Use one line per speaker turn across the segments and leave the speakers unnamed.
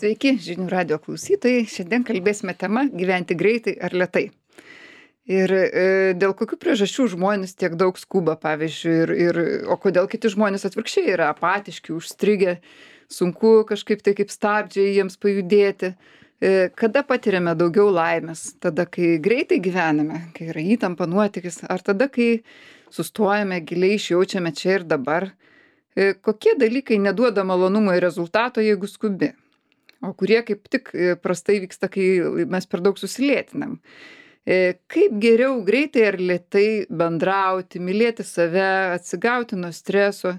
Sveiki, žinių radio klausytojai. Šiandien kalbėsime tema gyventi greitai ar lėtai. Ir dėl kokių priežasčių žmonės tiek daug skuba, pavyzdžiui, o kodėl kiti žmonės atvirkščiai yra apatiški, užstrigę, sunku kažkaip tai kaip stabdžiai jiems pajudėti. Kada patiriame daugiau laimės? Tada, kai greitai gyvename, kai yra įtampa nuotykis, ar tada, kai sustojame, giliai išjaučiame čia ir dabar? Kokie dalykai neduoda malonumo ir rezultato, jeigu skubi? O kurie kaip tik prastai vyksta, kai mes per daug susilėtinam. Kaip geriau greitai ar lėtai bendrauti, mylėti save, atsigauti nuo streso.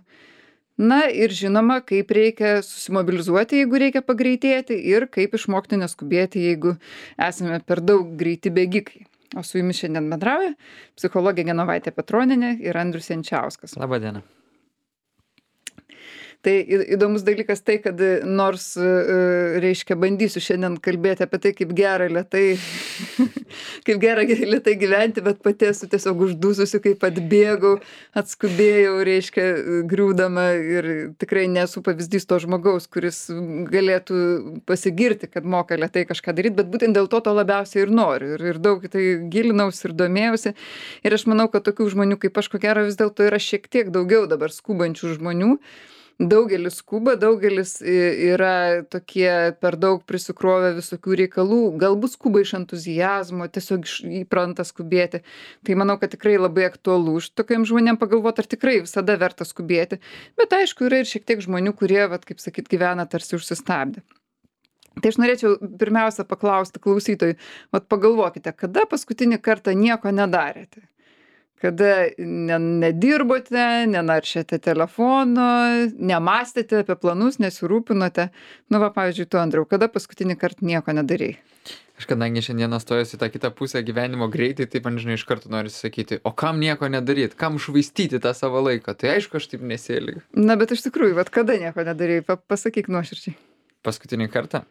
Na ir žinoma, kaip reikia susimobilizuoti, jeigu reikia pagreitėti ir kaip išmokti neskubėti, jeigu esame per daug greiti bėgikai. O su jumis šiandien bendrauja psichologė Genovaitė Petronienė ir Andrius Jančiauskas.
Labą dieną.
Tai įdomus dalykas tai, kad nors, reiškia, bandysiu šiandien kalbėti apie tai, kaip gera lėtai, kaip gera lėtai gyventi, bet pati esu tiesiog uždususi, kaip atbėgau, atskubėjau, reiškia, griūdama ir tikrai nesu pavyzdys to žmogaus, kuris galėtų pasigirti, kad moka lėtai kažką daryti, bet būtent dėl to labiausiai ir noriu. Ir daug tai gilinausi ir domėjausi. Ir aš manau, kad tokių žmonių kaip aš, ko gero, vis dėlto yra šiek tiek daugiau dabar skubančių žmonių. Daugelis skuba, daugelis yra tokie per daug prisikrovę visokių reikalų, galbūt skuba iš entuziazmo, tiesiog įpranta skubėti. Tai manau, kad tikrai labai aktualu už tokiam žmonėm pagalvoti, ar tikrai visada verta skubėti. Bet aišku, yra ir šiek tiek žmonių, kurie, kaip sakyt, gyvena tarsi užsistabdę. Tai aš norėčiau pirmiausia paklausti klausytojų, pagalvokite, kada paskutinį kartą nieko nedarėte? Kada nedirbote, nenaršėte telefono, nemąstėte apie planus, nesirūpinote. Pavyzdžiui, tu, Andriau, kada paskutinį kartą nieko nedarei?
Aš kadangi šiandieną stojusi tą kitą pusę gyvenimo greitai, taip man iš karto noriu sakyti, o kam nieko nedaryt, kam švaistyti tą savo laiką? Tai aišku, aš taip nesielgiu.
Na, bet iš tikrųjų, kada nieko nedarei? Pasakyk nuoširdžiai.
Paskutinį kartą?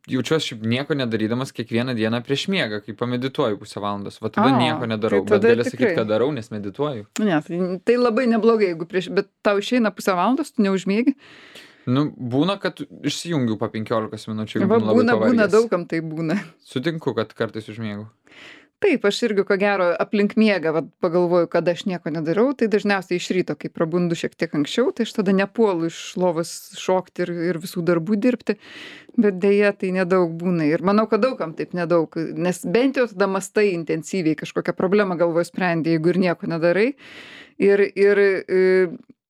Jaučiuosi šiaip nieko nedarydamas kiekvieną dieną prieš miegą, kai pamedituoju pusę valandos. Tada nieko nedarau,
tai
bet gali sakyti, kad darau, nes medituoju.
Ne, tai labai neblogai, bet tau išeina pusę valandos, tu neužmiegi?
Būna, kad išsijungiu po 15 minučių.
Būna daugam tai būna.
Sutinku, kad kartais užmiegu.
Taip, aš irgi ko gero aplink miegą pagalvoju, kad aš nieko nedarau, tai dažniausiai iš ryto, kai prabundu šiek tiek anksčiau, tai aš tada nepuolu iš lovos šokti ir visų darbų dirbti, bet dėja tai nedaug būna ir manau, kad daugam taip nedaug, nes bent jau tada mąstai intensyviai kažkokią problemą galvoje sprendi, jeigu ir nieko nedarai ir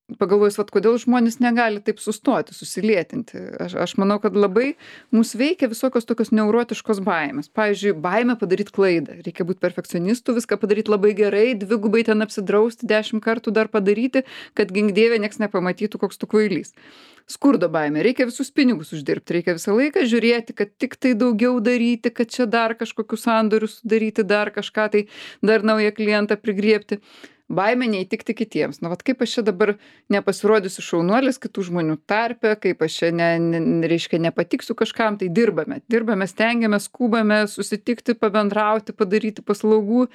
pagalvojus, kodėl žmonės negali taip sustoti, susilėtinti. Aš manau, kad labai mus veikia visokios tokios neurotiškos baimės. Pavyzdžiui, baimė padaryti klaidą. Reikia būti perfekcionistu, viską padaryti labai gerai, dvigubai ten apsidrausti, 10 kartų dar padaryti, kad gink dieve nieks nepamatytų, koks tu kvailys. Skurdo baimė. Reikia visus pinigus uždirbti, reikia visą laiką žiūrėti, kad tik tai daugiau daryti, kad čia dar kažkokius sandorius sudaryti, dar kažką tai, dar naują klientą prigriebti. Baimė neįtikti kitiems. Kaip aš čia dabar nepasirodysiu šaunuolis kitų žmonių tarpe, kaip aš čia reiškia nepatiksiu kažkam, tai dirbame, stengiamės, skubame susitikti, pabendrauti, padaryti paslaugų,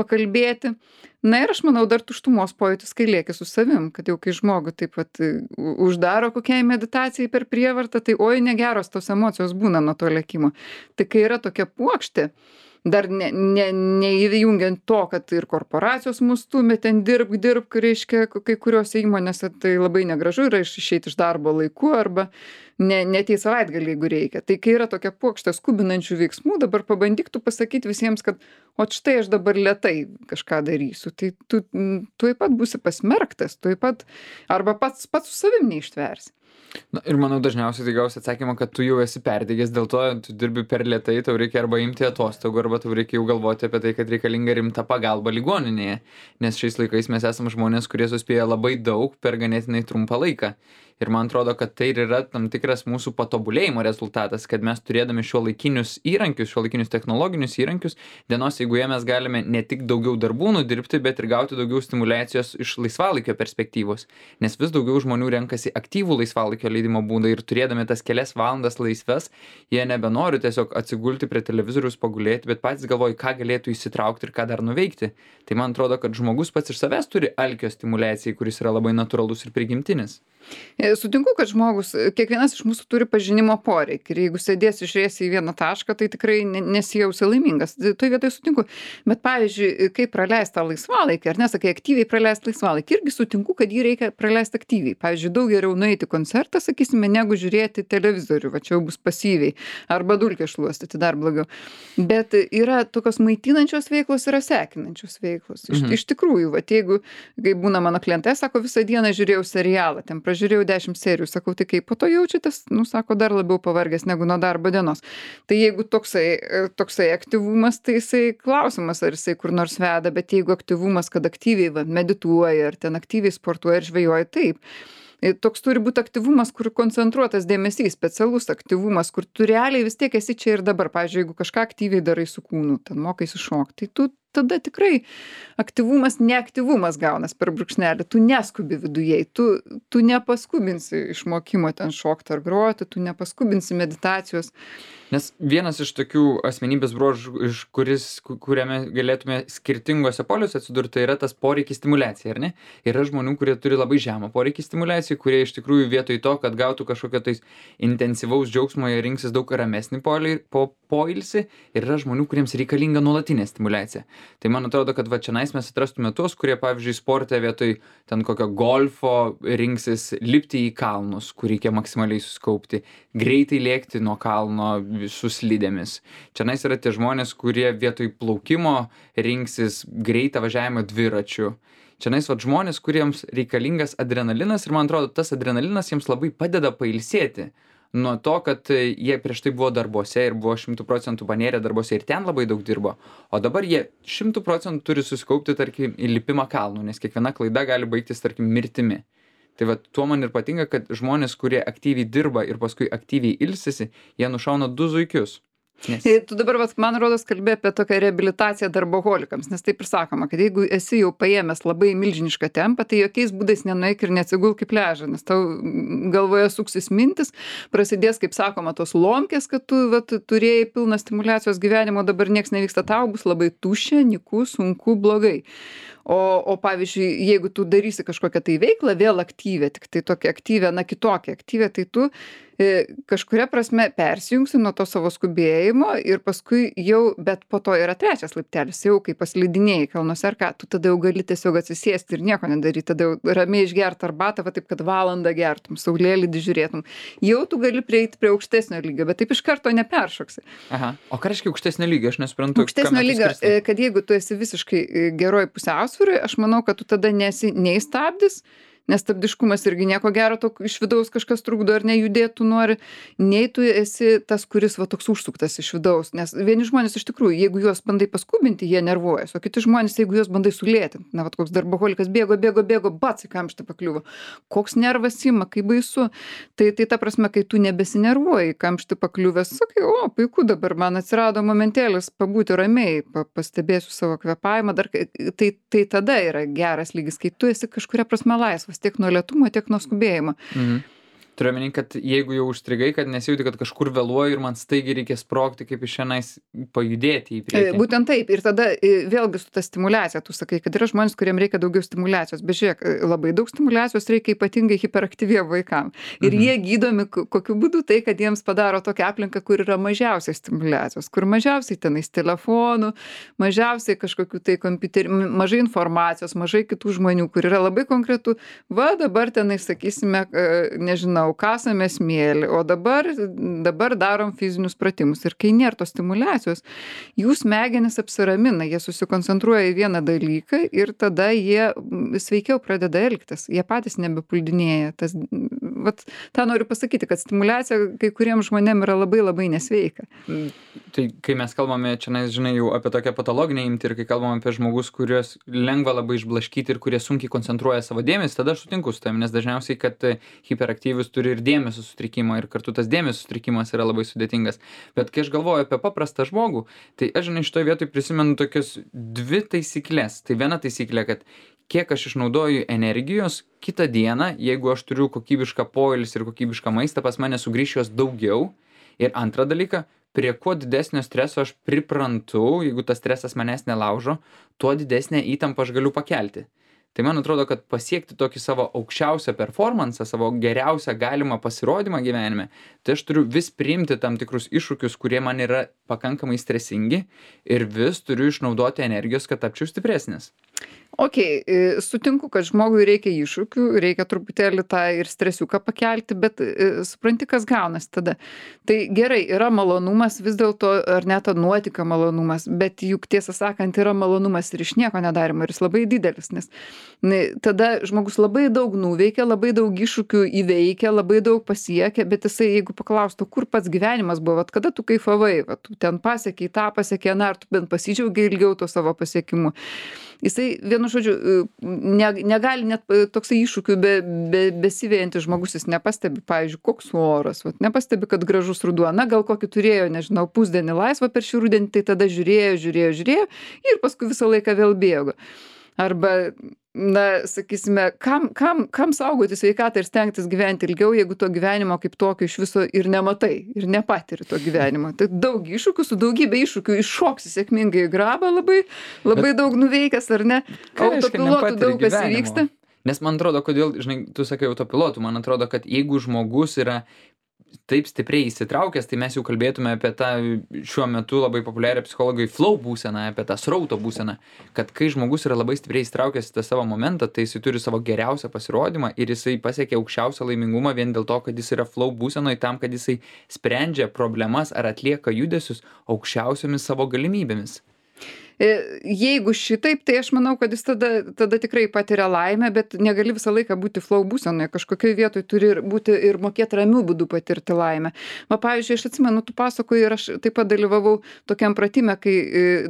pakalbėti. Na ir aš manau, dar tuštumos pojūtis, kai lieki su savim, kad jau kai žmogų taip pat uždaro kokiai meditacijai per prievartą, tai oi negeros tos emocijos būna nuo to lėkimo. Tai kai yra tokia puokštė, dar neįjungiant to, kad ir korporacijos mus stumia ten dirbk, reiškia, kai kuriuose įmonėse tai labai negražu yra išeiti iš darbo laiku arba neateit savaitgalį, jeigu reikia. Tai kai yra tokia puokštė skubinančių veiksmų, dabar pabandyk tu pasakyti visiems, kad o štai aš dabar lėtai kažką darysiu. Tai tu tuoj pat būsi pasmerktas, tuoj pat arba pats su savim neištversi.
Ir manau, dažniausiai tai gausi atsakymą, kad tu jau esi perdegęs, dėl to tu dirbi per lėtai, tau reikia arba imti atostogų, arba tau reikia jau galvoti apie tai, kad reikalinga rimta pagalba ligoninėje. Nes šiais laikais mes esame žmonės, kurie suspėja labai daug per ganėtinai trumpą laiką. Ir man atrodo, kad tai ir yra tam tikras mūsų patobulėjimo rezultatas, kad mes turėdami šiuolaikinius technologinius įrankius, dienos eigoje mes galime ne tik daugiau darbų nudirbti, bet ir gauti daugiau stimulacijos iš laisvalaikio perspektyvos. Nes vis daugiau žmonių renkasi aktyvų laisvalaikio leidimo būdą ir turėdami tas kelias valandas laisves, jie nebenori tiesiog atsigulti prie televizoriaus pagulėti, bet patys galvoja, ką galėtų įsitraukti ir ką dar nuveikti. Tai man atrodo, kad žmogus pats iš savęs turi alkio stimulacijai, kuris yra labai natūralus ir prigimtinis.
Sutinku, kad žmogus, kiekvienas iš mūsų turi pažinimo poreikį ir jeigu sėdėsi žiūrėsi į vieną tašką, tai tikrai nesijausi laimingas. Toj vietoj sutinku. Bet pavyzdžiui, kaip praleist tą laisvalaikį, ar ne, sakai, aktyviai praleist laisvalaikį, irgi sutinku, kad jį reikia praleisti aktyviai. Pavyzdžiui, daug geriau nueiti į koncertą, sakysime, negu žiūrėti televizorių, va čia jau bus pasyviai, arba dulkės šluostyti, dar blogiau. Bet yra tokios maitinančios veiklos, yra sekinančios veiklos. Iš tikrųjų, va, jeigu, kai būna mano klientai, sako, visą dieną žiūrėjau serialą, ten pražiūrėjau 10 serijų, sakau, tai kaip po to jaučiatės, nu, sako, dar labiau pavargęs negu nuo darbo dienos. Tai jeigu toksai aktyvumas, tai jisai klausimas, ar jisai kur nors veda, bet jeigu aktyvumas, kad aktyviai va, medituoja, ar ten aktyviai sportuoja ir žvejoja, taip. Toks turi būti aktyvumas, kur koncentruotas dėmesys, specialus aktyvumas, kur tu realiai vis tiek esi čia ir dabar. Pavyzdžiui, jeigu kažką aktyviai darai su kūnu, ten mokaisi šokti, tai tu tada tikrai aktyvumas, neaktyvumas gaunas per brūkšnelį, tu neskubi viduje, tu nepaskubinsi išmokimo ten šokti ar groti, tu nepaskubinsi meditacijos.
Nes vienas iš tokių asmenybės bruožų, kuriame galėtume skirtingose poliuose atsidurti, tai yra tas poreikis stimuliacijai, ar ne? Yra žmonių, kurie turi labai žemą poreikį stimuliacijai, kurie iš tikrųjų vietoj to, kad gautų kažkokio tais intensyvaus džiaugsmo, jie rinksis daug ramesnį poilsį, ir yra žmonių, kuriems reikalinga nuolatinė stimuliacija. Tai man atrodo, kad va čionais mes atrastume tuos, kurie, pavyzdžiui, sporte vietoj ten kokio golfo rinksis lipti į kalnus, kur reikia maksimaliai suskaupti, greitai lėkti nuo kalno su slidėmis. Čionais yra tie žmonės, kurie vietoj plaukimo rinksis greitą važiavimą dviračiu. Čionais va žmonės, kuriems reikalingas adrenalinas, ir man atrodo, tas adrenalinas jiems labai padeda pailsėti nuo to, kad jie prieš tai buvo darbuose ir buvo 100% panėrę darbuose ir ten labai daug dirbo. O dabar jie 100% turi susikaupti, tarkim, į lipimą kalnų, nes kiekviena klaida gali baigtis, tarkim, mirtimi. Tai va, tuo man ir patinka, kad žmonės, kurie aktyviai dirba ir paskui aktyviai ilsisi, jie nušauna 2 zuikius. Nes...
Tu dabar, man rodos, kalbė apie tokią reabilitaciją darboholikams, nes taip ir sakoma, kad jeigu esi jau paėmęs labai milžinišką tempą, tai jokiais būdais nenueik ir neatsigulk į pliažą, nes tau galvoje suksis mintis, prasidės, kaip sakoma, tos lomkės, kad tu vat, turėjai pilną stimulacijos gyvenimo, dabar nieks nevyksta, tau bus labai tuščia, nyku, sunku, blogai. O pavyzdžiui, jeigu tu darysi kažkokią tai veiklą, vėl aktyvę, tik tai tokią aktyvę, na kitokią aktyvę, tai tu kažkuria prasme persijungsi nuo to savo skubėjimo ir paskui jau, bet po to yra 3 laiptelis, jau kai paslidinėjai kalnuose ar ką, tu tada jau gali tiesiog atsisėsti ir nieko nedaryti, tada jau ramiai išgert arbatą, va taip, kad valandą gertum, saulėlydį žiūrėtum. Jau tu gali prieiti prie aukštesnio lygio, bet taip iš karto neperšoksi.
Aha. O ką reiškia aukštesnio lygio? Aš nesuprantu.
Aukštesnio lygio, kad jeigu tu esi visiškai geroj pusiausvyroj, aš manau, kad tu tada nesi nei stabdis, nes stabdiškumas irgi nieko gero, iš vidaus kažkas trukdo ar nejudėtų nori, nei tu esi tas, kuris va toks užsuktas iš vidaus, nes vieni žmonės iš tikrųjų, jeigu juos bandai paskubinti, jie nervuojas, o kiti žmonės, jeigu juos bandai sulėtinti, na, va koks darboholikas bėgo, bats į kamštį pakliuvo, koks nervas ima, kaip baisu, tai ta prasme, kai tu nebesinervuoji, kamštį pakliuvęs, sakai, o, puiku, dabar man atsirado momentėlis pabūti ramiai, pastebėsiu savo kvėpavimą, dar, tai tada yra geras lygis, kai tu esi kažkuria prasme laisvas, tiek nuo lėtumo, tiek nuo skubėjimo.
Turiu omeny, kad jeigu jau užstrigai, kad nesijauti, kad kažkur vėluoju ir man staigiai reikia sprogti, kaip iš šiandien pajudėti į priekį.
Būtent taip. Ir tada vėlgi su ta stimulacija, tu sakai, kad yra žmonės, kuriems reikia daugiau stimulacijos. Bet žiūrėk, labai daug stimulacijos reikia ypatingai hiperaktyviem vaikam. Ir jie gydomi kokiu būdu tai, kad jiems padaro tokią aplinką, kur yra mažiausiai stimulacijos, kur mažiausiai tenais telefonų, mažiausiai kažkokių tai kompiuterių, mažai informacijos, mažai kitų žmonių, kur yra labai konkretu. Va dabar tenais, sakysime, nežinau, kasame smėlį, o dabar darom fizinius pratimus. Ir kai nėra tos stimuliacijos, jų smegenys apsiramina, jie susikoncentruoja į vieną dalyką ir tada jie sveikiau pradeda elgtis, jie patys nebepuldinėja. Vat, tą noriu pasakyti, kad stimuliacija kai kuriems žmonėms yra labai labai nesveika.
Tai kai mes kalbame čia, žinai, jau apie tokią patologinę imtį ir kai kalbame apie žmogus, kuriuos lengva labai išblaškyti ir kurie sunkiai koncentruoja savo dėmesį, tada aš sutinku su tavim, nes dažniausiai, kad hiperaktyvius turi ir dėmesio sutrikimą ir kartu tas dėmesio sutrikimas yra labai sudėtingas. Bet kai aš galvoju apie paprastą žmogų, tai aš, žinai, šitoje vietoje prisimenu tokias 2 taisyklės. Tai viena taisyklė, kad kiek aš išnaudoju energijos, kitą dieną, jeigu aš turiu kokybišką poilsį ir kokybišką maistą, pas mane sugrįš jos daugiau. Ir antrą dalyką, prie kuo didesnio streso aš priprantu, jeigu tas stresas manęs nelaužo, tuo didesnę įtampą aš galiu pakelti. Tai man atrodo, kad pasiekti tokį savo aukščiausią performansą, savo geriausią galimą pasirodymą gyvenime, tai aš turiu vis priimti tam tikrus iššūkius, kurie man yra pakankamai stresingi ir vis turiu išnaudoti energijos, kad tapčiau stipresnis.
Okei, sutinku, kad žmogui reikia iššūkių, reikia truputėlį tą ir stresiuką pakelti, bet supranti, kas gaunasi tada. Tai gerai, yra malonumas vis dėlto, ar net nuotika malonumas, bet juk tiesą sakant, yra malonumas ir iš nieko nedarimo, ir jis labai didelis, nes tada žmogus labai daug nuveikia, labai daug iššūkių įveikia, labai daug pasiekia, bet jisai, jeigu paklaustų, kur pats gyvenimas buvo, vat kada tu kaifavai, vat tu ten pasiekiai, tą pasiekė, ar tu bent pasidžiaugiai ilgiau to savo pasiekimu. Jisai, vienu žodžiu, negali net toksai iššūkių besivejantis žmogus, jis nepastebi, pavyzdžiui, koks oras, vat, nepastebi, kad gražus ruduo, na gal kokį turėjo, nežinau, pusdienį laisvą per šį rudenį, tai tada žiūrėjo ir paskui visą laiką vėl bėgo. Arba, na, sakysime, kam saugoti sveikatą ir stengtis gyventi ilgiau, jeigu to gyvenimo kaip tokio iš viso ir nematai, ir nepatiri to gyvenimo. Tai daug iššūkių, su daugybė iššūkių iššoksi sėkmingai į grabą labai daug nuveikęs, ar ne? Autopilotų daug kas įvyksta.
Nes man atrodo, kodėl, žinai, tu sakai autopilotų, man atrodo, kad jeigu žmogus yra taip stipriai įsitraukęs, tai mes jau kalbėtume apie tą šiuo metu labai populiarią psichologai flow būseną, apie tą srauto būseną, kad kai žmogus yra labai stipriai įsitraukęs į tą savo momentą, tai jisai turi savo geriausią pasirodymą ir jisai pasiekia aukščiausią laimingumą vien dėl to, kad jis yra flow būsenoje tam, kad jisai sprendžia problemas ar atlieka judesius aukščiausiomis savo galimybėmis.
Jeigu šitaip, tai aš manau, kad jis tada tikrai patiria laimę, bet negali visą laiką būti flow būsenoje. Kažkokioj vietoj turi būti ir mokėti ramių būdų patirti laimę. Pavyzdžiui, aš atsimenu, tu pasakoji ir aš taip pat dalyvavau tokiam pratime, kai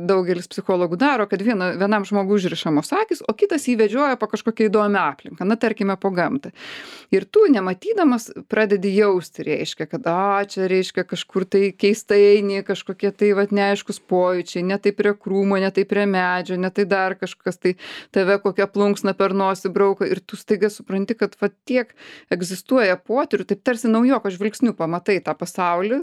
daugelis psichologų daro, kad vienam žmogui užrišamos akys, o kitas jį vedžioja po kažkokią įdomią aplinką, na tarkime po gamtą. Ir tu, nematydamas, pradedi jausti, reiškia, kad čia reiškia kažkur tai keistai eini, kažkokie tai neaiškus pojūčiai, ne taip prie krūmo, ne tai prie medžio, ne tai dar kažkas, tai tave kokią plunksną per nosį brauko ir tu staiga supranti, kad tiek egzistuoja potyrių, taip tarsi naujoko žvilgsniu pamatai tą pasaulį,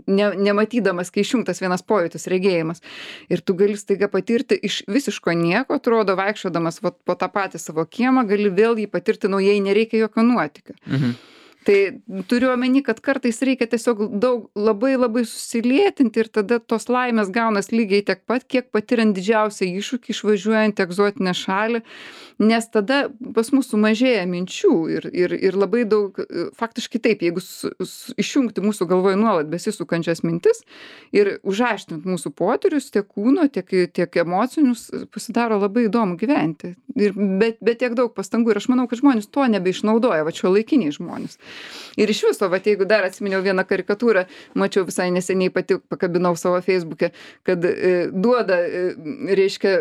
nematydamas, kai išjungtas vienas pojūtis, regėjimas. Ir tu gali staiga patirti iš visiško nieko, atrodo, vaikščiodamas po tą patį savo kiemą, gali vėl jį patirti naujai, nereikia jokio nuotykio.
Mhm.
Tai turiu omeny, kad kartais reikia tiesiog labai susilėtinti ir tada tos laimės gaunas lygiai tiek pat, kiek patiriant didžiausią iššūkį išvažiuojant į egzotinę šalį, nes tada pas mus sumažėja minčių ir labai daug, faktiškai taip, jeigu išjungti mūsų galvoje nuolat besisukančias mintis ir užaštinti mūsų potyrius, tiek kūno, tiek emocinius, pasidaro labai įdomu gyventi. Bet tiek daug pastangų ir aš manau, kad žmonės to nebeišnaudoja, šiuolaikiniai žmonės. Ir iš viso, jeigu dar atsiminiau vieną karikatūrą, mačiau visai neseniai pati pakabinau savo Facebook'e, kad duoda, reiškia,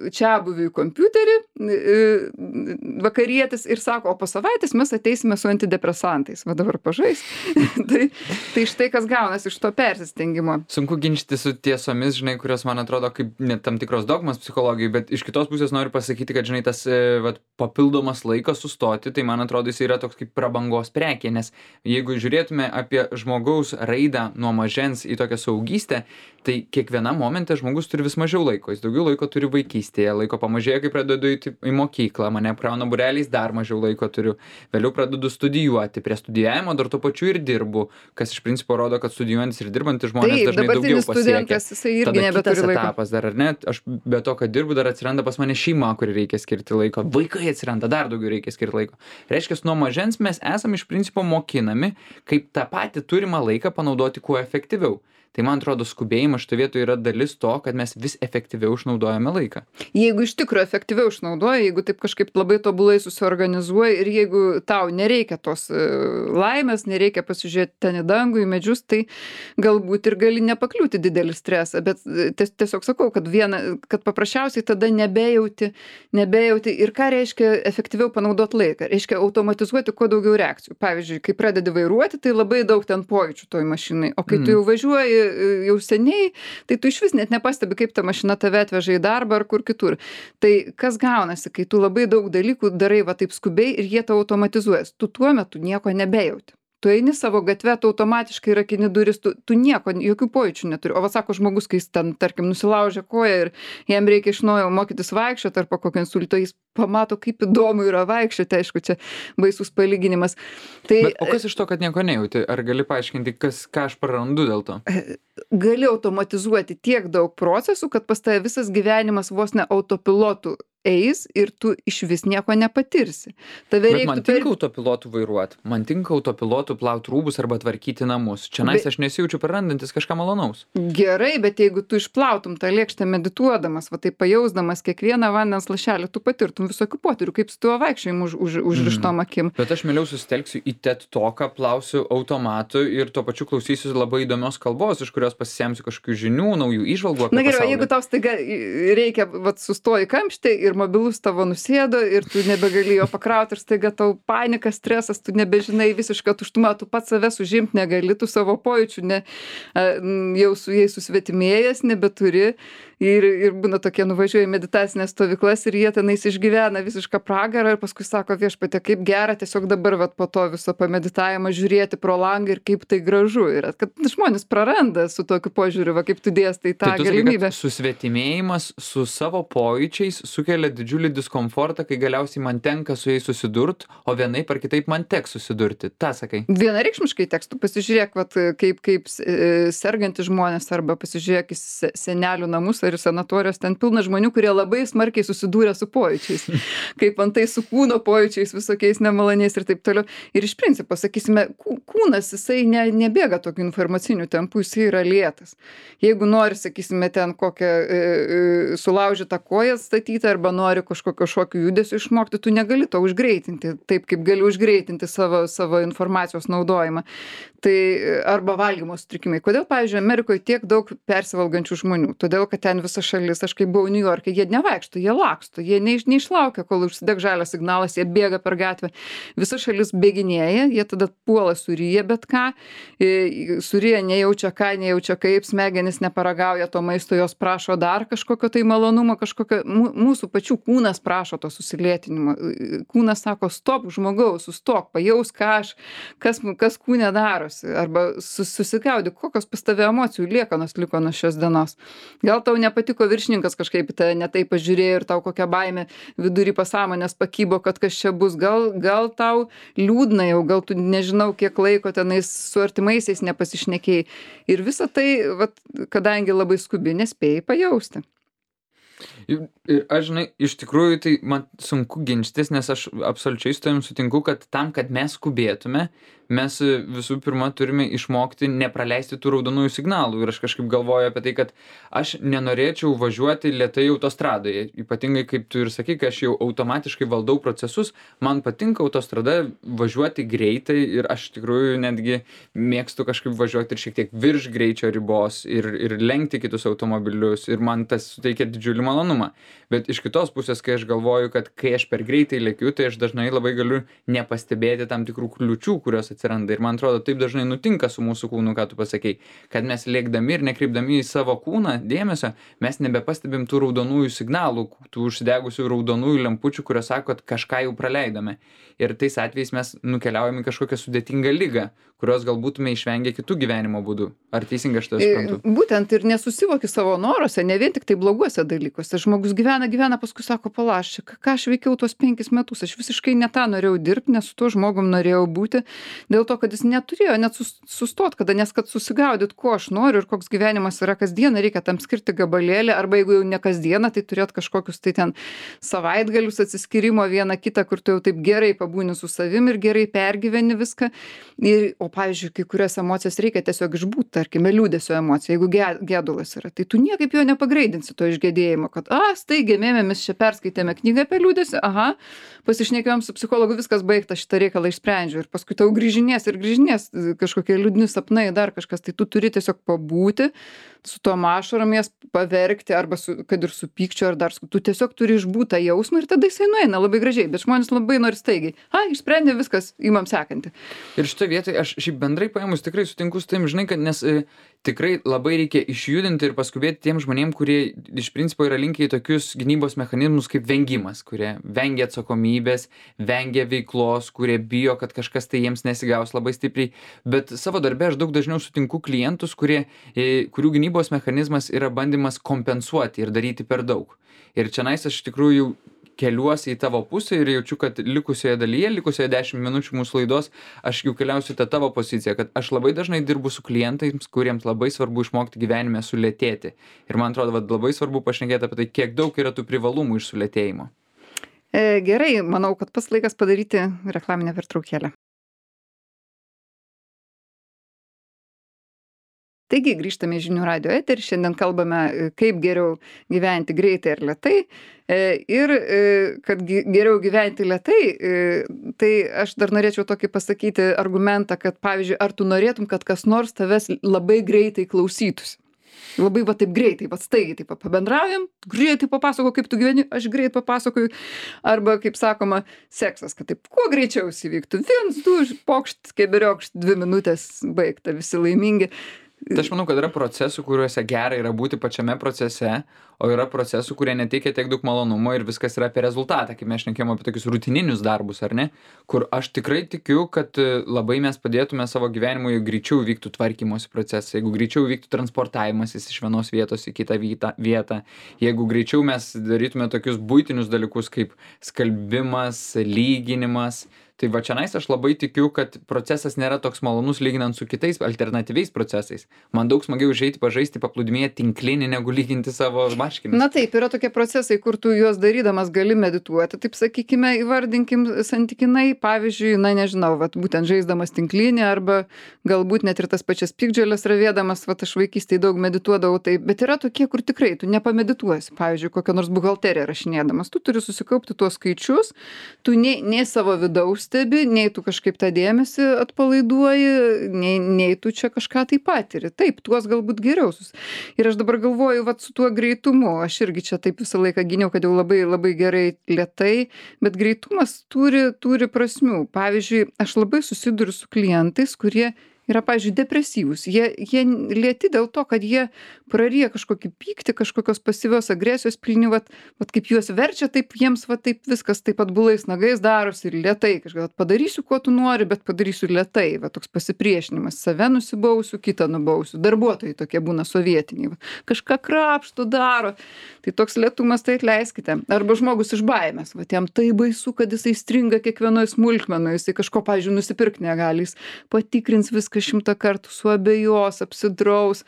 čiabuviui kompiuterį vakarietis ir sako, o po savaitės mes ateisime su antidepresantais. Va dabar pažais. tai štai kas gaunasi iš to persistengimo.
Sunku ginčyti su tiesomis, žinai, kurios man atrodo kaip net tam tikros dogmas psichologijai, bet iš kitos pusės noriu pasakyti, kad, žinai, tas papildomas laikas sustoti, tai man atrodo jis yra toks kaip prabangos prekė, nes jeigu žiūrėtume apie žmogaus raidą nuo mažens į tokią saugystę, tai kiekvienam momente žmogus turi vis mažiau laiko, jis daugiau laiko turi vaikystėje, laiko pamažėja, kai pradedu į mokyklą, mane prauna būreliais, dar mažiau laiko turiu, vėliau pradedu studijuoti, prie studijavimo dar tuo pačiu ir dirbu, kas iš principo rodo, kad studijuojantis ir dirbantis žmonės dažnai daugiau pasiekia. Tada kitas etapas dar, ar ne, aš be to, kad dirbu, dar atsiranda pas mane šeima, kuri reikia skirti laiko, vaikai atsiranda, dar daugiau reikia skirti laiko. Reiškia, nuo mažens mes esame iš principo mokinami, kaip tą patį turimą laiką panaudoti kuo efektyviau. Tai man atrodo, skubėjimas šitoje vietoje yra dalis to, kad mes vis efektyviau išnaudojame laiką.
Jeigu iš tikrųjų efektyviau išnaudoji, jeigu taip kažkaip labai tobulai susiorganizuoji ir jeigu tau nereikia tos laimės, nereikia pasižiūrėti ten į dangų, į medžius, tai galbūt ir gali nepakliūti didelį stresą. Bet tiesiog sakau, kad paprasčiausiai tada nebejauti ir ką reiškia efektyviau panaudoti laiką. Reiškia automatizuoti kuo daugiau reakcijų. Pavyzdžiui, kai pradedi vairuoti, tai labai daug ten pojūčių toj mašinai, o kai tu jau važiuoji jau seniai, tai tu iš vis net nepastebi, kaip ta mašina tave atveža į darbą ar kur kitur. Tai kas gaunasi, kai tu labai daug dalykų darai va taip skubiai ir jie tau automatizuojas. Tu tuo metu nieko nebejauti. Tu eini savo gatve, tu automatiškai rakini duris, tu nieko, jokių pojūčių neturi. O va sako žmogus, kai jis ten, tarkim, nusilaužia koją ir jam reikia iš naujo mokytis vaikščioti ar po kokio insulto, jis pamato, kaip įdomu yra vaikščioti, aišku, čia baisus palyginimas. Tai,
Bet, o kas iš to, kad nieko nejauti? Ar gali paaiškinti, ką aš prarandu dėl to?
gali automatizuoti tiek daug procesų, kad pas tave visas gyvenimas vos ne autopilotų eis ir tu išvis nieko nepatirsi.
Bet man tinka autopilotų vairuoti, man tinka autopilotų plauti rūbus arba tvarkyti namus. Čia aš nesijaučiu prarandantis kažką malonaus.
Gerai, bet jeigu tu išplautum tą lėkštę medituodamas, va tai pajausdamas kiekvieną vandens lašelį, tu patirtum visokių potyrių, kaip su tuo vaikščiojimu užrištom akim.
Bet aš mieliau susitelksiu į TED Talką, plausiu automatu ir tuo pačiu klausysiu labai įdomios kalbos, iš kurios pasisemsiu kažkokių žinių, naujų įžvalgų apie
pasaulį. Na gerai,
pasaulį.
jeigu tau staiga reikia, va sustoji kamštį ir mobilus tavo nusėdo ir tu nebegali jo pakrauti ir staiga tau panika, stresas, tu nebežinai visišką tuštumą, tu pats savęs užimti negali, tu savo pojūčių jau su jais susvetimėjęs nebeturi ir būna tokie nuvažiuoja į meditacinės stovyklas ir jie tenais išgyvena visišką pragarą ir paskui sako viešpatie, kaip gera tiesiog dabar vat po to viso pameditavimo žiūrėti pro langą ir kaip tai gražu yra, kad žmonės praranda su tokiu požiūriu, va kaip tu dėstai tą galimybę.
Tai susvetimėjimas su savo pojūčiais sukelia didžiulį diskomfortą, kai galiausiai man tenka su jais susidurt, o vienaip ar kitaip man teks susidurti. Ta sakai.
Vienareikšmiškai teks, tu pasižiūrėk, vat, kaip sergantys žmonės arba pasižiūrėk į senelių namus ar į sanatorijos, ten pilna žmonių, kurie labai smarkiai susidūrė su pojūčiais. Kaip antai su kūno pojūčiais visokiais nemaloniais ir taip toliau. Ir iš principo, sakysime, kūnas, jisai nebėga tokiu informaciniu tempu, jisai yra lėtas. Jeigu nori, sakysime, ten kokią sulaužytą koją statyti arba nori kažkokio šokių judesio išmokti, tu negali to užgreitinti, taip kaip gali užgreitinti savo informacijos naudojimą. Tai arba valgymo sutrikimai. Kodėl, pavyzdžiui, Amerikoje tiek daug persivalgančių žmonių? Todėl, kad ten visa šalis, aš kai buvau New York'e, jie nevaikšto, jie laksto, jie neišlaukia, kol užsideg žalias signalas, jie bėga per gatvę. Visa šalis bėginėja, jie tada puola suryja bet ką, suryja nejaučia ką, nejaučia kaip, smegenys neparagauja to maisto, jos prašo dar kažkokio tai malonumo, kažkokio, mūsų pačių kūnas prašo to susilėtinimo. Kūnas sako, stop, žmogaus, sustok, pajaus, kas kūne darosi, arba susigaudyk, kokios pas tave emocijų liekanos liko nuo šios dienos. Gal tau nepatiko viršininkas kažkaip tai ne taip pažiūrėjo ir tau kokia baimė vidury pasąmonės pakybo, kad kas čia bus. Gal tau liūdna jau, gal tu nežinau, kiek laiko tenais su artimaisiais nepasišnekėjai. Ir visa tai, vat, kadangi labai skubi, nespėjai pajausti.
Ir aš, žinai, iš tikrųjų tai man sunku ginčytis, nes aš absoliučiai su tavim sutinku, kad tam, kad mes skubėtume, mes visų pirma turime išmokti nepraleisti tų raudonųjų signalų. Ir aš kažkaip galvoju apie tai, kad aš nenorėčiau važiuoti lėtai autostradoje. Ypatingai, kaip tu ir sakai, kai aš jau automatiškai valdau procesus, man patinka autostrada važiuoti greitai ir aš tikrųjų netgi mėgstu kažkaip važiuoti ir šiek tiek virš greičio ribos ir lenkti kitus automobilius ir man tas suteikia didžiulį malonumą. Bet iš kitos pusės, kai aš galvoju, kad kai aš per greitai lėkiu, tai aš dažnai labai galiu nepastebėti tam tikrų kliučių, kurios atsiranda. Ir man atrodo, taip dažnai nutinka su mūsų kūnu, ką tu pasakei, kad mes lėkdami ir nekreipdami į savo kūną dėmesio, mes nebepastebim tų raudonųjų signalų, tų užsidegusių raudonųjų lempučių, kurios sako, kad kažką jau praleidome. Ir tais atvejais mes nukeliaujame į kažkokią sudėtingą ligą, kurios gal būtume išvengę kitų gyvenimo būdų. Ar teisingai aš tai suprantu?
Būtent ir nesusivoki savo noruose, ne vien tik tai bloguose dalykuose. Žmogus gyvena, paskui sako, palaš, ką aš veikiau tuos 5 metus, aš visiškai ne tą norėjau dirbti, nes su tuo žmogum norėjau būti, dėl to, kad jis neturėjo net sustot, nes kad susigaudyt, ko aš noriu ir koks gyvenimas yra kasdieną, reikia tam skirti gabalėlį, arba jeigu jau ne kasdieną, tai turėt kažkokius tai ten savaitgalius atsiskyrimo vieną kitą, kur tu jau taip gerai pabūni su savim ir gerai pergyveni viską. O pavyzdžiui, kai kurias emocijas reikia tiesiog išbūt, tarkime, liūdesio emocija, jeigu gedulas yra, tai tu niekaip jo nepagreidinsi to išgėdėjimo, kad, staigiai mes čia perskaitėme knygą apie liūdesį, pasišnekėjom su psichologu, viskas baigta, šitą reikalą išsprendžiu ir paskui tau grįžinės kažkokie liūdni sapnai, dar kažkas, tai tu turi tiesiog pabūti su tom ašarom jas paverkti, arba kad ir su pykčiu, ar dar tu tiesiog turi išbūt tą jausmą ir tada jisai nueina labai gražiai, bet žmonės labai nori staigiai. Išsprendė viskas, imam sekantį.
Ir šitoje vietoje aš šiaip bendrai paėmus tikrai sutinku su tavim, žinai, kad nes tikrai labai reikia išjudinti ir paskubėti tiem žmonėm, kurie iš principo yra linkę į tokius gynybos mechanizmus kaip vengimas, kurie vengia atsakomybės, vengia veiklos, kurie bijo, kad kažkas tai jiems nesigaus labai stipriai. Bet savo darbe aš daug dažniau sutinku klientus, kurių gynybos mechanizmas yra bandymas kompensuoti ir daryti per daug. Ir čionais aš iš tikrųjų keliuosi į tavo pusę ir jaučiu, kad likusioje 10 minučių mūsų laidos, aš jau keliausiu tą tavo poziciją, kad aš labai dažnai dirbu su klientais, kuriems labai svarbu išmokti gyvenime sulėtėti. Ir man atrodo, labai svarbu pašnekėti apie tai, kiek daug yra tų privalumų iš sulėtėjimo.
Gerai, manau, kad pats laikas padaryti reklaminę pertraukėlę. Taigi grįžtame į žinių radijo eterį, šiandien kalbame, kaip geriau gyventi greitai ar lėtai. Ir kad geriau gyventi lėtai, tai aš dar norėčiau tokį pasakyti argumentą, kad pavyzdžiui, ar tu norėtum, kad kas nors tavęs labai greitai klausytųsi. Labai va taip greitai, va staigiai taip pabendraujam, greitai papasako, kaip tu gyveni, aš greit papasakoju. Arba, kaip sakoma, seksas, kad taip kuo greičiau įvyktų. 1, 2, pokšt, keberiokšt, 2 minutės baigta, visi laimingi.
Tai aš manau, kad yra procesų, kuriuose gera yra būti pačiame procese, o yra procesų, kurie neteikia tiek daug malonumo ir viskas yra apie rezultatą, kaip mes šnekėjome apie tokius rutininius darbus, ar ne? Kur aš tikrai tikiu, kad labai mes padėtume savo gyvenimui, jeigu greičiau vyktų tvarkymosi procesai, jeigu greičiau vyktų transportavimasis iš vienos vietos į kitą vietą, jeigu greičiau mes darytume tokius buitinius dalykus kaip skalbimas, lyginimas. Tai va čionais aš labai tikiu, kad procesas nėra toks malonus lyginant su kitais alternatyviais procesais. Man daug smagiau užeiti pažaisti paplūdimyje tinklinį, negu lyginti savo marškinius.
Na taip, yra tokie procesai, kur tu juos darydamas gali medituoti, taip sakykime, įvardinkim santykinai, pavyzdžiui, na nežinau, vat, būtent žaisdamas tinklinį arba galbūt net ir tas pačias piktžoles ravėdamas, vat aš vaikystėje daug medituodavau, tai, bet yra tokie, kur tikrai tu nepamedituosi, pavyzdžiui, kokią nors buhalteriją rašinėdamas, tu turi susikaupti tuos skaičius, tu nei savo vidaus stebi, nei tu kažkaip tą dėmesį atpalaiduoji, nei tu čia kažką tai patiri. Taip, tuos galbūt geriau. Ir aš dabar galvoju, vat su tuo greitumu, aš irgi čia taip visą laiką gyniau, kad jau labai, labai gerai lėtai, bet greitumas turi prasmių. Pavyzdžiui, aš labai susiduriu su klientais, kurie yra, pavyzdžiui, depresyvūs. Jie lėti dėl to, kad jie praryja kažkokį pyktį, kažkokios pasyvios agresijos pilni, vat kaip juos verčia, taip jiems va taip viskas taip atbulais nagais darosi ir lėtai. Kažką padarysiu, ko tu nori, bet padarysiu lėtai. Va toks pasipriešinimas. Save nusibausiu, kitą nubausiu. Darbuotojai tokie būna sovietiniai. Va. Kažką krapšto daro. Tai toks lėtumas, tai atleiskite. Arba žmogus iš baimės. Va jam tai baisu, kad jisai stringa kiekvienoje smulkmenoje. Jisai kažko, pavyzdžiui, nusipirkti negali. Jis patikrins viską 100 kartų, suabejos, apsidraus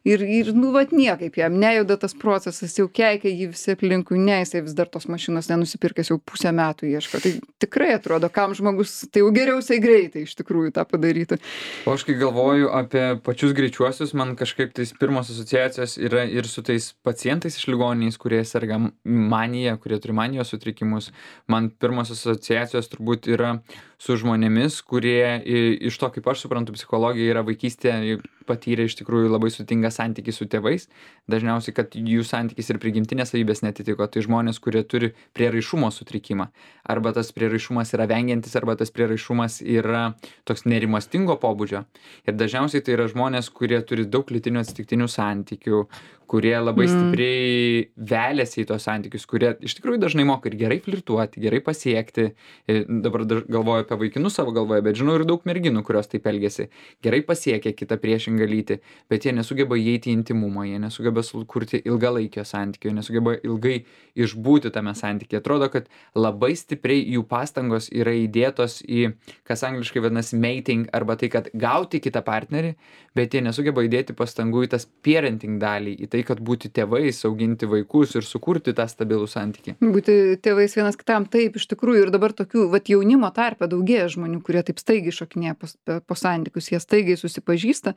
ir nu, vat niekaip jam nejuda tas procesas, jau keikia jį visi aplinkui, ne, jisai vis dar tos mašinos nenusipirkęs, jau 1,5 metų ieško. Tai tikrai atrodo, kam žmogus, tai jau geriausiai greitai iš tikrųjų tą padarytų.
O aš kai galvoju apie pačius greičiuosius, man kažkaip tais pirmos asociacijos yra ir su tais pacientais iš ligoniniais, kurie serga manija, kurie turi manijos sutrikimus. Man pirmos asociacijos turbūt yra su žmonėmis, kurie iš to, kaip aš suprantu, psichologija yra vaikystė patyrė iš tikrųjų labai sudėtingą santykį su tėvais. Dažniausiai, kad jų santykis ir prigimtinės savybės netitiko. Tai žmonės, kurie turi prieraišumo sutrikimą. Arba tas prieraišumas yra vengiantis, arba tas prieraišumas yra toks nerimastingo pobūdžio. Ir dažniausiai tai yra žmonės, kurie turi daug lytinių atsitiktinių santykių, kurie labai stipriai veliasi į tos santykius, kurie iš tikrųjų dažnai moka ir gerai flirtuoti, gerai pasiekti. Dabar galvoju apie vaikinus savo galvoje, bet žinau ir daug merginų, kurios taip elgiasi. Gerai pasiekia kitą priešingą lytį, bet jie nesugeba įeiti į intimumą, jie nesugeba sukurti ilgalaikio santykio, jie nesugeba ilgai išbūti tame santykyje. Atrodo, kad labai stipriai jų pastangos yra įdėtos į, kas angliškai vadinasi mating, arba tai, kad gauti kitą partnerį, bet jie nesugeba įdėti pastangų į tas parenting dalį, į tai, kad būti tėvais, auginti vaikus ir sukurti tą stabilų santykį.
Būti tėvais vienas kitam, taip, iš tikrųjų, ir dabar tokių, vat jaunimo tarpe daugėja žmonių, kurie taip staigiai šokinėja po santykius, jie staigiai susipažįsta,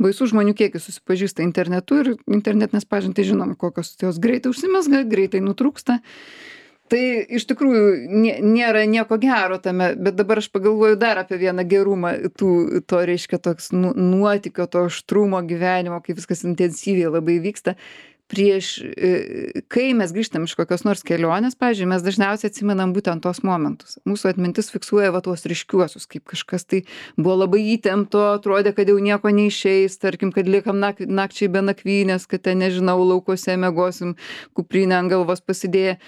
baisų žmonių kiekis susipažįsta internetu ir internetinės pažintys žinom, kokios jos greitai užsimezga, greitai nutrūksta. Tai iš tikrųjų nėra nieko gero tame, bet dabar aš pagalvoju dar apie vieną gerumą to reiškia toks nuotykio, to aštrumo gyvenimo, kai viskas intensyviai labai vyksta. kai mes grįžtam iš kokios nors kelionės, pavyzdžiui, mes dažniausiai atsimenam būtent tos momentus. Mūsų atmintis fiksuoja va tuos ryškiuosius, kaip kažkas tai buvo labai įtempto, atrodė, kad jau nieko neišeis, tarkim, kad liekam nakčiai be nakvynės, kad ten, nežinau, laukuose miegosim, kuprinę ant galvos pasidėję.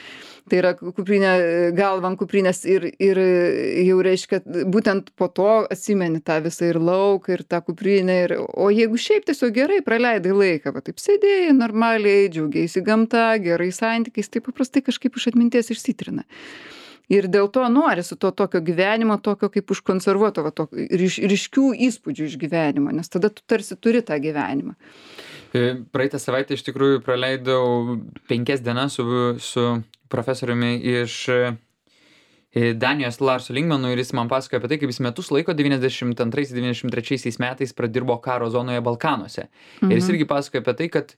Tai yra kuprinė, galva ant kuprinės ir jau reiškia, būtent po to atsimeni tą visą ir lauką, ir tą kuprinę. O jeigu šiaip tiesiog gerai praleidai laiką, va taip sėdėjai normaliai, džiaugiaisi gamta, gerai santykiais, tai paprastai kažkaip iš atminties išsitrina. Ir dėl to norisi to tokio gyvenimo, tokio kaip užkonservuoto, va, ryškių įspūdžių iš gyvenimo, nes tada tu tarsi turi tą gyvenimą.
Praeitą savaitę iš tikrųjų praleidau 5 dienas su profesoriumi iš Danijos Larsu Lingmanu ir jis man pasakojo apie tai, kaip jis metus laiko 92-93 metais pradirbo karo zonoje Balkanuose. Ir jis irgi pasakojo apie tai, kad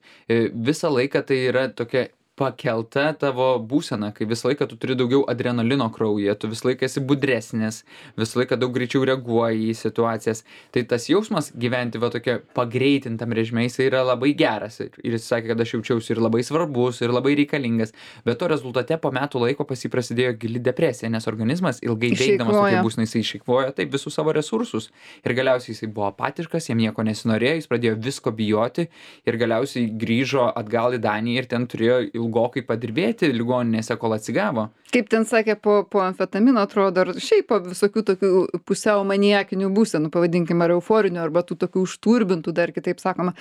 visą laiką tai yra tokia pakelta tavo būsena, kai visą laiką tu turi daugiau adrenalino kraujyje, tu visą laiką esi budresnis, visą laiką daug greičiau reaguoji į situacijas. Tai tas jausmas gyventi va tokia pagreitintam režime, jis yra labai geras. Ir jis sakė, kad aš jaučiausi ir labai svarbus, ir labai reikalingas. Bet to rezultate po metų laiko pas jį prasidėjo gili depresija, nes organizmas ilgai veikdamas tokia būsena, jis išeikvojo taip visus savo resursus. Ir galiausiai jis buvo apatiškas, jam nieko nesinorėjo, jis pradėjo visko bijoti ir galiausiai grįžo atgal į Daniją ir ten turėjo ilgokai padirbėti ligoninėse, kol atsigavo.
Kaip ten sakė, po amfetamino atrodo, ar šiaip po visokių tokių pusiau maniakinių būsenų, pavadinkime, ar euforinių, arba tų tokių užturbintų, dar kitaip sakoma,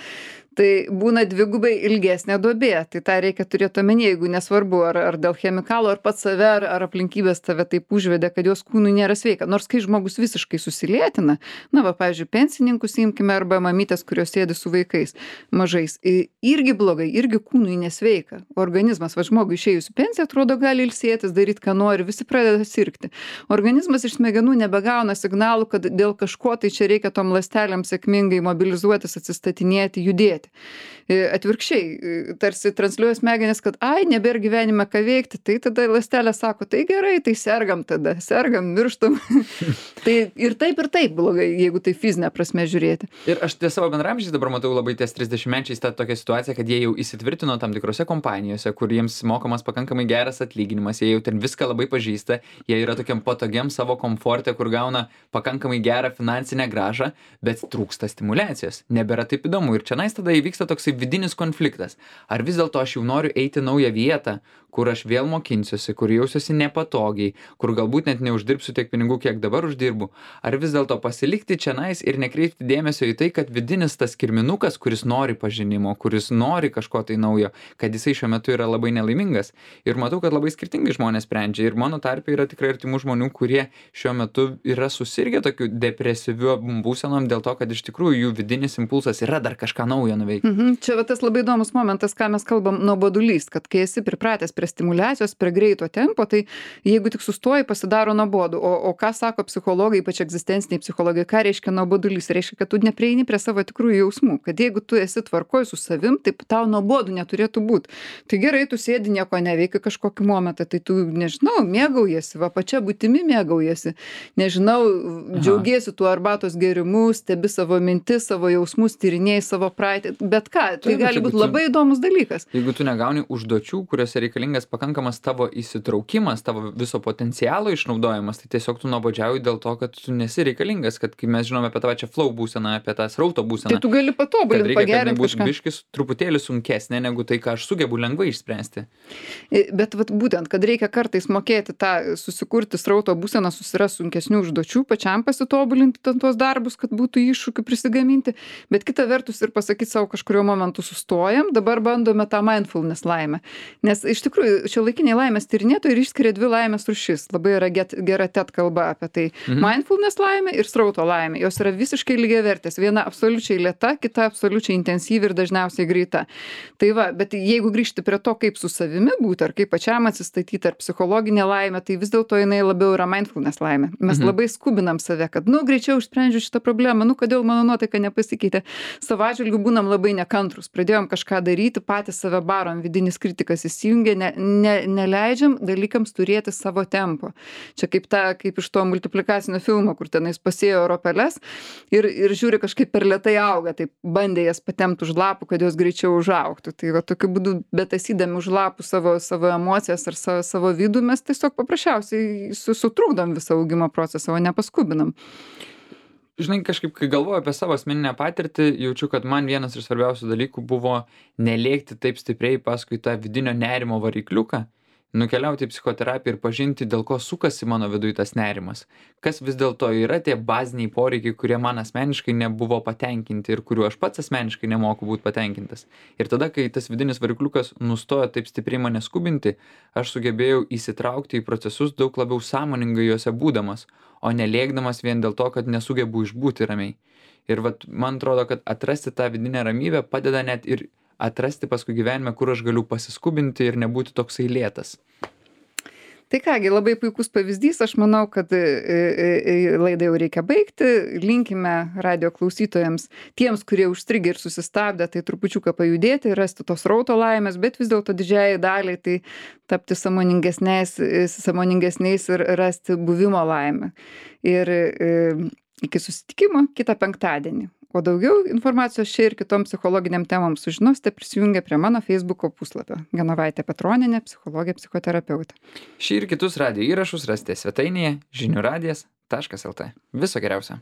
tai būna dvigubai ilgesnė duobė. Tai tą reikia turėti omenyje, jeigu nesvarbu, ar dėl chemikalų, ar pats save, ar aplinkybės tave taip užvedė, kad jos kūnui nėra sveika. Nors kai žmogus visiškai susilėtina, na va, pavyzdžiui, pensininkus imkime, arba mamytės, kurios sėdi su vaikais mažais, irgi blogai, irgi kūnui nesveika. Organizmas, va, žmogui išėjus į pensiją, atrodo, gali ilsėtis, daryti, ką nori, visi pradeda sirgti. Organizmas iš smegenų nebegauna signalų, kad dėl kažko tai čia reikia tom ląstelėm sėkmingai mobilizuotis, atsistatinėti, judėti. Atvirkščiai, tarsi transliuoja smegenis, kad nebėra gyvenime ką veikti, tai tada ląstelė sako, tai gerai, tai sergam tada, mirštam. Tai ir taip blogai, jeigu tai fizinė prasme žiūrėti.
Ir aš savo bendraamžiais dabar matau labai ties 30-mečiais tą tokią situaciją, kad jie jau įsitvirtino tam tikrose kompanijose, kur jiems mokamas pakankamai geras atlyginimas, jie jau ten viską labai pažįsta, jie yra tokiam patogiam savo komforte, kur gauna pakankamai gerą finansinę grąžą, bet trūksta stimulacijos, nebėra taip įdomu. Ir čia tada įvyksta toksai vidinis konfliktas. Ar vis dėlto aš jau noriu eiti naują vietą, kur aš vėl mokinsiuosi, kur jausiuosi nepatogiai, kur galbūt net neuždirbsiu tiek pinigų, kiek dabar uždirbu. Ar vis dėlto pasilikti čianais ir nekreipti dėmesio į tai, kad vidinis tas kirminukas, kuris nori pažinimo, kuris nori kažko tai naujo, kad jisai šiuo metu yra labai nelaimingas. Ir matau, kad labai skirtingai žmonės sprendžia. Ir mano tarpe yra tikrai artimų žmonių, kurie šiuo metu yra susirgę tokiu depresyviu būsenom dėl to, kad iš tikrųjų jų vidinis impulsas yra dar kažką naujo nuveikti.
Čia va tas labai įdomus momentas, ką mes kalbam, nuobodulys, kad kai esi pripratęs prie stimulacijos, prie greito tempo, tai jeigu tik sustoji, pasidaro nuobodu. O ką sako psichologai, ypač egzistenciniai psichologai, ką reiškia nuobodulys? Reiškia, kad tu neprieini prie savo tikrųjų jausmų, kad jeigu tu esi tvarkoj su savim, tai tau nuobodu neturėtų būti. Tai gerai, tu sėdi, nieko neveiki kažkokį momentą, tai tu, nežinau, mėgaujasi, va pačia būtimi mėgaujasi, nežinau, džiaugiesi tuo arbatos gėrimu, stebi savo mintis, savo jausmus, tyrinėji savo praeitį, bet ką, tai gali būti labai įdomus dalykas.
Jeigu tu negauni užduočių, kuriuose reikalingas pakankamas tavo įsitraukimas, tavo viso potencialo išnaudojimas, tai tiesiog tu nuobodžiauji dėl to, kad tu nesi reikalingas, kad kai mes žinome apie tą pačią flow būseną, apie tą srauto būseną.
Tai tu gali patobulinti, pagerinti
kažką. Biškis truputėlį sunkesnė negu tai, ką aš sugebu lengvai išspręsti.
Bet vat, būtent, kad reikia kartais mokėti tą susikurti srauto būseną, susirasti sunkesnių užduočių, pačiam pasitobulinti tuos darbus, kad būtų iššūkių prisigaminti, bet kita vertus ir pasakyti savo kažkurio momentu sustojam, dabar bandome tą mindfulness laimę. Nes iš tikrųjų, šiuolaikiniai laimės tyrinėtojai išskiria 2 laimės rūšis. Labai yra gera TED kalba apie tai. Mindfulness laimė ir srauto laimė. Jos yra visiškai lygiavertės. Viena absoliučiai lėta, kita absoliučiai intensyvi ir dažniausiai greita. Tai va, bet jeigu grįžti prie to, kaip su savimi būti, ar kaip pačiam atsistatyti, ar psichologinė laimė, tai vis dėlto jinai labiau yra mindfulness laimė. Mes labai skubinam save, kad, greičiau išsprendžiu šitą problemą, kodėl mano nuotaika nepasikeitė. Savo atžvilgiu būna pradėjom labai nekantrūs, pradėjom kažką daryti, patys save barom, vidinis kritikas įsijungia, neleidžiam dalykams turėti savo tempo. Čia kaip iš to multiplikacinio filmo, kur tenais pasėjo ropeles ir žiūri kažkaip per lėtai auga, taip bandė jas patempti už lapų, kad jos greičiau užaugtų. Tai va tokiu būdu, betasydami už lapų savo emocijas ar savo vidų, mes tiesiog paprasčiausiai sutrukdom visą augimo procesą, o nepaskubinam.
Žinai, kažkaip, kai galvoju apie savo asmeninę patirtį, jaučiu, kad man vienas iš svarbiausių dalykų buvo nelėkti taip stipriai paskui tą vidinio nerimo varikliuką, nukeliauti į psichoterapiją ir pažinti, dėl ko sukasi mano viduj tas nerimas. Kas vis dėlto yra tie baziniai poreikiai, kurie man asmeniškai nebuvo patenkinti ir kuriuo aš pats asmeniškai nemoku būti patenkintas. Ir tada, kai tas vidinis varikliukas nustojo taip stipriai mane skubinti, aš sugebėjau įsitraukti į procesus daug labiau sąmoningai juose būdamas, o nelėkdamas vien dėl to, kad nesugebu išbūti ramiai. Ir vat, man atrodo, kad atrasti tą vidinę ramybę padeda net ir atrasti paskui gyvenime, kur aš galiu pasiskubinti ir nebūti toksai lėtas.
Tai kągi, labai puikus pavyzdys, aš manau, kad laidą jau reikia baigti, linkime radio klausytojams, tiems, kurie užstrigę ir susistabdė, tai trupučiuką pajudėti, rasti tos srauto laimės, bet vis dėlto didžiajai daliai tai tapti sąmoningesniais ir rasti buvimo laimę. Ir iki susitikimo kitą penktadienį. O daugiau informacijos čia ir kitom psichologiniam temom sužinosite prisijungę prie mano Facebooko puslapio. Genovaitė Petronienė, psichologė, psichoterapeutė.
Šį ir kitus radijo įrašus rasite svetainėje žiniųradijas.lt. Viso geriausio.